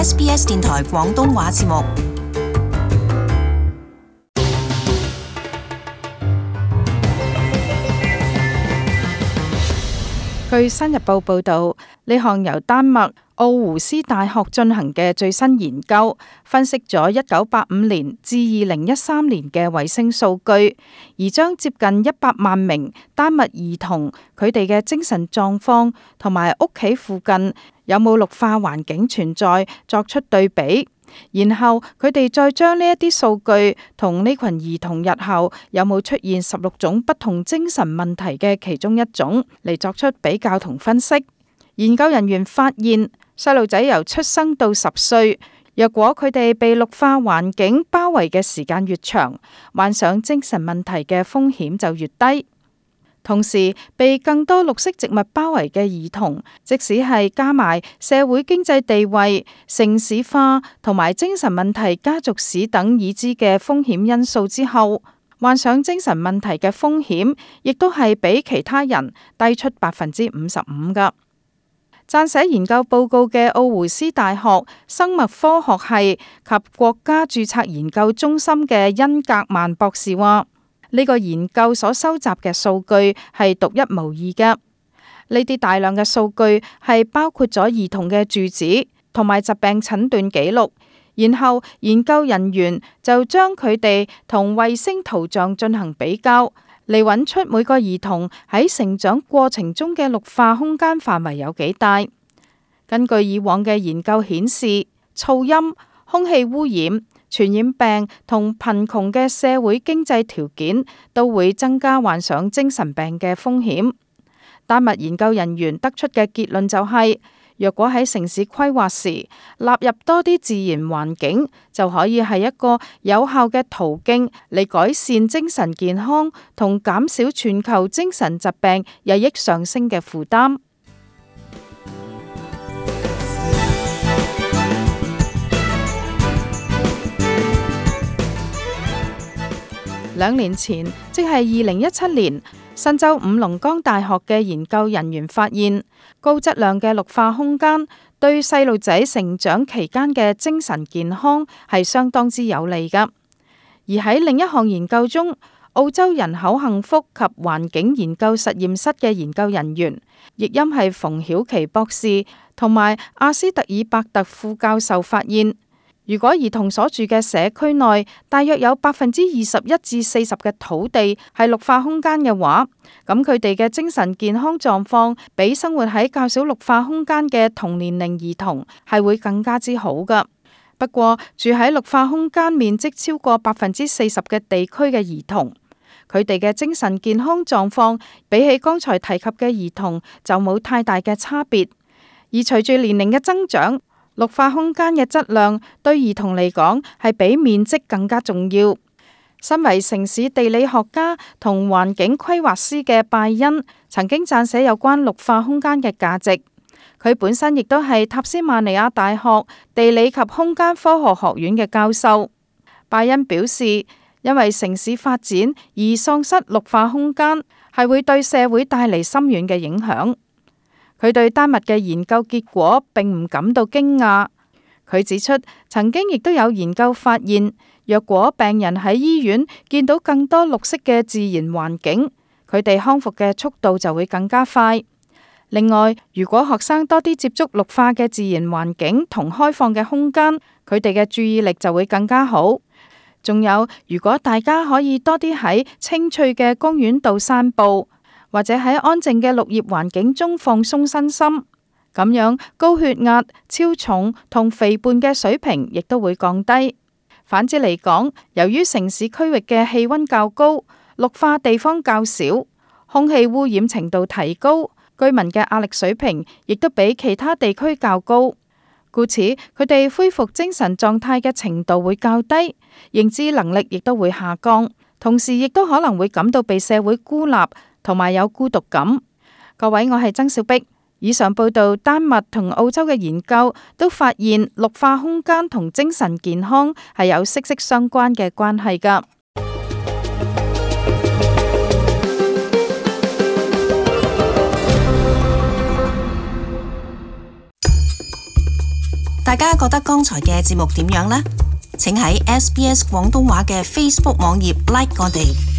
SBS 電台廣東話節目。據新日報報導，呢項由丹麥奧胡斯大學進行嘅最新研究，分析咗1985年至2013年嘅衛星數據，而將接近100萬名丹麥兒童佢哋嘅精神狀況同埋屋企附近有冇綠化環境存在作出對比。然後佢哋再將呢一啲數據同呢群兒童日後有冇出現16種不同精神問題嘅其中一種嚟作出比較同分析。研究人員發現，細路仔由出生到10歲，若果佢哋被綠化環境包圍嘅時間越長，患上精神問題嘅風險就越低。同時，被更多綠色植物包圍嘅兒童，即使係加埋社會經濟地位、城市化同埋精神問題家族史等已知嘅風險因素之後，患上精神問題嘅風險，亦都係比其他人低出55%㗎。撰寫研究報告嘅奧胡斯大學生物科學系及國家註冊研究中心嘅恩格曼博士話：呢個研究所收集嘅數據係獨一無二嘅。呢啲大量嘅數據係包括咗兒童嘅住址同埋疾病診斷記錄，然後研究人員就將佢哋同衛星圖像進行比較，嚟揾出每個兒童喺成長過程中嘅綠化空間範圍有幾大。根據以往嘅研究顯示，噪音、空氣污染、傳染病同貧窮嘅社會經濟條件都會增加患上精神病嘅風險。丹麥研究人員得出嘅結論就係，若果喺城市規劃時納入多啲自然環境，就可以係一個有效嘅途徑嚟改善精神健康同減少全球精神疾病日益上升嘅負擔。2年前，即係2017年，新州五龍崗大學嘅研究人員發現，高質量嘅綠化空間對細路仔成長期間嘅精神健康係相當之有利㗎。而喺另一項研究中，澳洲人口幸福及環境研究實驗室嘅研究人員，譯音係馮曉琪博士同埋阿斯特爾伯特副教授發現，如果兒童所住嘅社區內大約有21%至40%嘅土地係綠化空間嘅話，咁佢哋嘅精神健康狀況比生活喺較少綠化空間嘅同年齡兒童係會更加之好㗎。不過住喺綠化空間面積超過40%嘅地區嘅兒童，佢哋嘅精神健康狀況比起剛才提及嘅兒童就冇太大嘅差別。而隨住年齡嘅增長，綠化空間嘅質量對兒童嚟講係比面積更加重要。身為城市地理學家同環境規劃師嘅拜恩曾經撰寫有關綠化空間嘅價值。佢本身亦都係塔斯曼尼亞大學地理及空間科學學院嘅教授。拜恩表示，因為城市發展而喪失綠化空間係會對社會帶嚟深遠嘅影響。佢對丹麥嘅研究結果並唔感到驚訝。佢指出，曾經亦都有研究發現，若果病人喺醫院見到更多綠色嘅自然環境，佢哋康復嘅速度就會更加快。另外，如果學生多啲接觸綠化嘅自然環境同開放嘅空間，佢哋嘅注意力就會更加好。仲有，如果大家可以多啲喺青翠嘅公園度散步，或者喺安靜嘅綠葉環境中放鬆身心，咁樣高血壓、超重同肥胖嘅水平亦都會降低。反之嚟講，由於城市區域嘅氣溫較高，綠化地方較少，空氣污染程度提高，居民嘅壓力水平亦都比其他地區較高，故此佢哋恢復精神狀態嘅程度會較低，認知能力亦都會下降，同時亦都可能會感到被社會孤立同埋有孤獨感。各位，我係曾小碧。以上報道丹麥同澳洲嘅研究都發現綠化空間同精神健康係有息息相關嘅關係㗎。大家覺得剛才嘅節目點樣呢？請喺SBS 廣東話嘅 Facebook 網頁 like 我哋。